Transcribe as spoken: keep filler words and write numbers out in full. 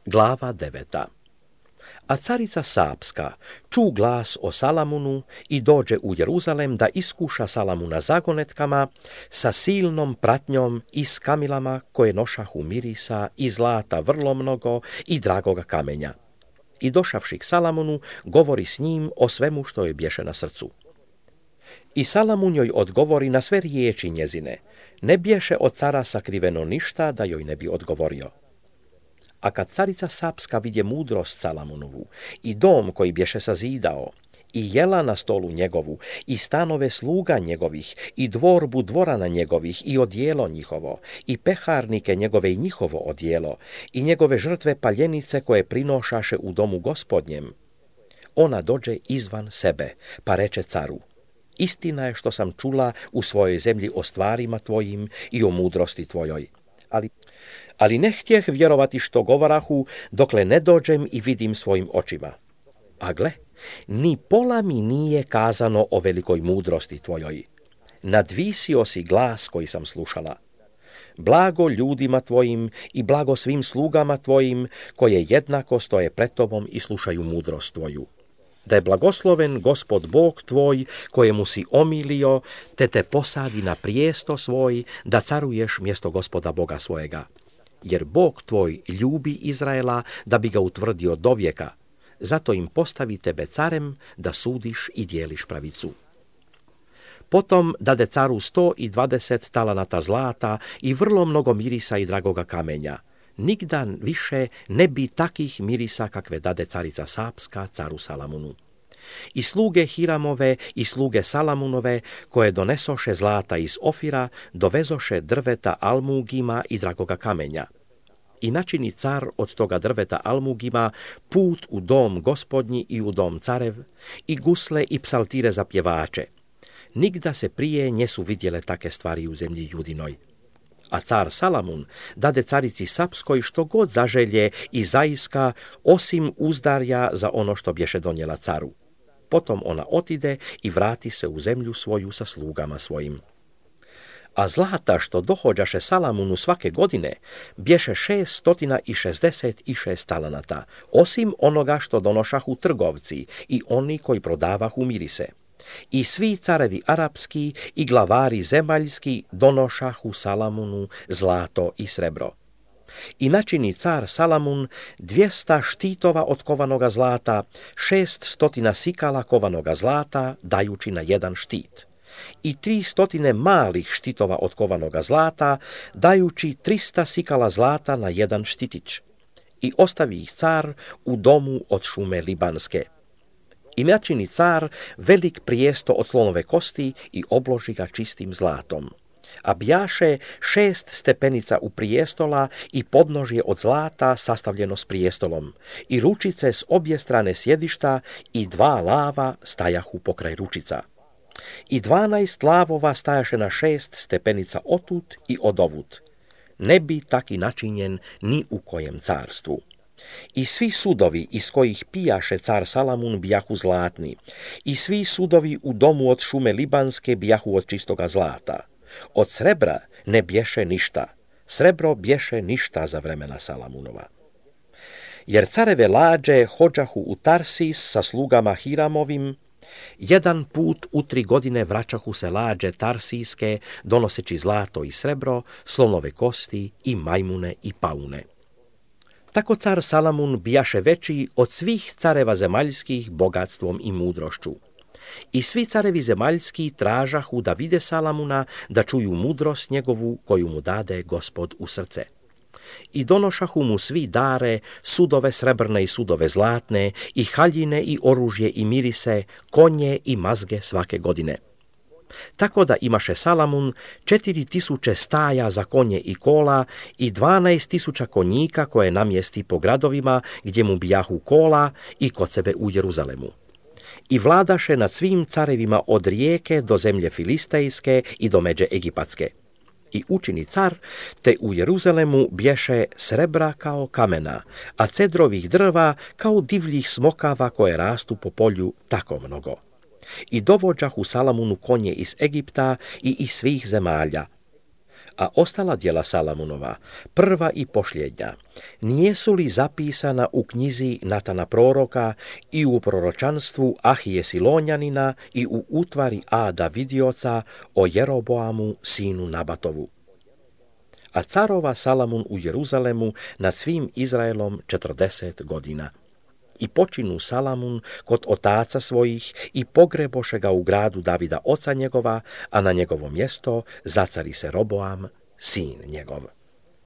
Glava deveta. A carica Sapska ču glas o Salamunu i dođe u Jeruzalem da iskuša Salamuna zagonetkama sa silnom pratnjom i s kamilama koje nošahu mirisa i zlata vrlo mnogo i dragoga kamenja. I došavši k Salamunu, govori s njim o svemu što joj bješe na srcu. I Salamun joj odgovori na sve riječi njezine, ne bješe od cara sakriveno ništa da joj ne bi odgovorio. A kad carica Sapska vidje mudrost Salamunovu i dom koji bješe sazidao, i jela na stolu njegovu, i stanove sluga njegovih, i dvorbu dvorana njegovih, i odjelo njihovo, i peharnike njegove i njihovo odjelo, i njegove žrtve paljenice koje prinošaše u domu gospodnjem, ona dođe izvan sebe, pa reče caru, istina je što sam čula u svojoj zemlji o stvarima tvojim i o mudrosti tvojoj. Ali, ali ne htjeh vjerovati što govorahu, dokle ne dođem i vidim svojim očima. A gle, ni pola mi nije kazano o velikoj mudrosti tvojoj. Nadvisio si glas koji sam slušala. Blago ljudima tvojim i blago svim slugama tvojim, koje jednako stoje pred tobom i slušaju mudrost tvoju. Da je blagosloven Gospod Bog tvoj, kojemu si omilio, te te posadi na prijesto svoj, da caruješ mjesto Gospoda Boga svojega. Jer Bog tvoj ljubi Izraela, da bi ga utvrdio do vijeka. Zato im postavi tebe carem, da sudiš i dijeliš pravicu. Potom dade caru sto i dvadeset talanata zlata i vrlo mnogo mirisa i dragoga kamenja. Nigdan više ne bi takih mirisa kakve dade carica Sapska caru Salamunu. I sluge Hiramove i sluge Salamunove, koje donesoše zlata iz Ofira, dovezoše drveta almugima i dragoga kamenja. I načini car od toga drveta almugima put u dom gospodnji i u dom carev, i gusle i psaltire za pjevače. Nigda se prije njesu vidjele take stvari u zemlji Judinoj. A car Salamun dade carici Sapskoj što god zaželje i zaiska, osim uzdarja za ono što bješe donijela caru. Potom ona otide i vrati se u zemlju svoju sa slugama svojim. A zlata što dohođaše Salamunu svake godine bješe šest stotina i šezdeset i šest talanata, osim onoga što donošahu trgovci i oni koji prodavahu mirise. I svi carevi arapski i glavari zemaljski donošahu Salamunu zlato i srebro. I načini car Salamun dvjesta štitova od kovanoga zlata, šest stotina sikala kovanoga zlata, dajući na jedan štit. I tri stotine malih štitova od kovanoga zlata, dajući trista sikala zlata na jedan štitić. I ostavi ih car u domu od šume libanske. I načini car velik prijesto od slonove kosti i obloži ga čistim zlatom. A bjaše šest stepenica u prijestola i podnožje od zlata sastavljeno s prijestolom, i ručice s obje strane sjedišta i dva lava stajahu pokraj ručica. I dvanaest lavova stajaše na šest stepenica otut i odovut. Ne bi taki načinjen ni u kojem carstvu. I svi sudovi iz kojih pijaše car Salamun bijahu zlatni, i svi sudovi u domu od šume libanske bijahu od čistoga zlata. Od srebra ne bješe ništa, srebro bješe ništa za vremena Salamunova. Jer careve lađe hođahu u Tarsis sa slugama Hiramovim, jedan put u tri godine vraćahu se lađe tarsijske, donoseći zlato i srebro, slonove kosti i majmune i paune. Tako car Salamun bijaše veći od svih careva zemaljskih bogatstvom i mudrošću. I svi carevi zemaljski tražahu da vide Salamuna, da čuju mudrost njegovu koju mu dade Gospod u srce. I donošahu mu svi dare, sudove srebrne i sudove zlatne, i haljine i oružje i mirise, konje i mazge svake godine. Tako da imaše Salamun četiri tisuće staja za konje i kola i dvanaest tisuća konjika koje namjesti po gradovima gdje mu bijahu kola i kod sebe u Jeruzalemu. I vladaše nad svim carevima od rijeke do zemlje filistejske i do međe egipatske. I učini car, te u Jeruzalemu bješe srebra kao kamena, a cedrovih drva kao divljih smokava koje rastu po polju tako mnogo. I dovođahu Salamunu konje iz Egipta i iz svih zemalja. A ostala djela Salamunova, prva i posljednja, nijesu li zapisana u knjizi Natana proroka i u proročanstvu Ahije Silonjanina i u utvari Ada vidioca o Jeroboamu sinu Nabatovu? A carova Salamun u Jeruzalemu nad svim Izraelom četrdeset godina. I počinu Salamun kod otaca svojih i pogreboše ga u gradu Davida oca njegova, a na njegovo mjesto zacari se Roboam, sin njegov.